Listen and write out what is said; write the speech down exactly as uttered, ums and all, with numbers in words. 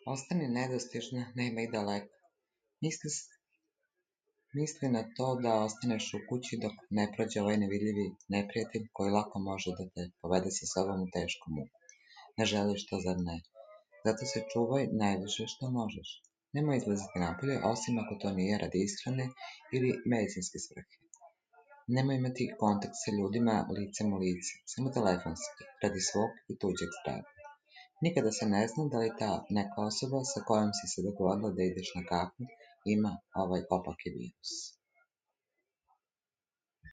Ostani nedostižna, nema i daleko. Misli, misli na to da ostaneš u kući dok ne prođe ovaj nevidljivi neprijatelj koji lako može da te povede sa sobom u tešku muku. Ne želiš to, zar ne? Zato se čuvaj najviše što možeš. Nemoj izlaziti napolje, osim ako to nije radi ishrane ili medicinske svrhe. Nemoj imati kontakt sa ljudima licem u lice, samo telefonski, radi svog i tuđeg zdravlja. Nikada se ne zna da li ta neka osoba sa kojom si se dogovorila da ideš na kafu ima ovaj opaki virus.